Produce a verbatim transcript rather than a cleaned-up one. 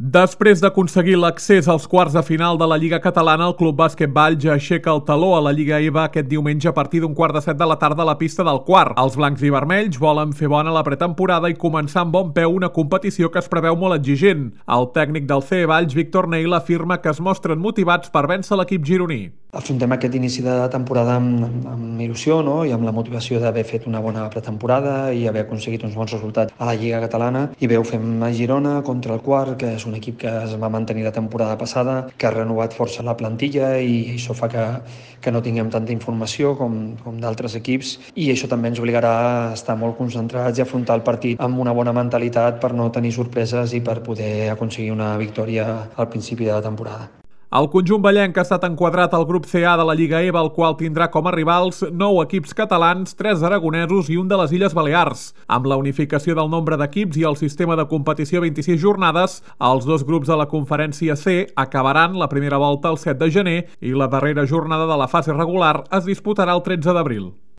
Després d'aconseguir l'accés als quarts de final de la Lliga Catalana, el Club Bàsquet Vall ja aixeca el taló a la Lliga E V A aquest diumenge a partir d'un quart de set de la tarda a la pista del Quart. Els blancs i vermells volen fer bona la pretemporada i començar amb bon peu una competició que es preveu molt exigent. El tècnic del C E Valls, Víctor Neil, afirma que es mostren motivats per vèncer l'equip gironí. Afrontem aquest inici de temporada amb, amb il·lusió, no? I amb la motivació d'haver fet una bona pretemporada i haver aconseguit uns bons resultats a la Lliga Catalana. I bé, ho fem a Girona contra el Quart, que és un equip que es va mantenir la temporada passada, que ha renovat força la plantilla i això fa que, que no tinguem tanta informació com, com d'altres equips, i això també ens obligarà a estar molt concentrats i afrontar el partit amb una bona mentalitat per no tenir sorpreses i per poder aconseguir una victòria al principi de la temporada. El conjunt vallenc ha estat enquadrat al grup C A de la Lliga E V A, el qual tindrà com a rivals nou equips catalans, tres aragonesos i un de les Illes Balears. Amb la unificació del nombre d'equips i el sistema de competició vint-i-sis jornades, els dos grups de la Conferència C acabaran la primera volta el set de gener i la darrera jornada de la fase regular es disputarà el tretze d'abril.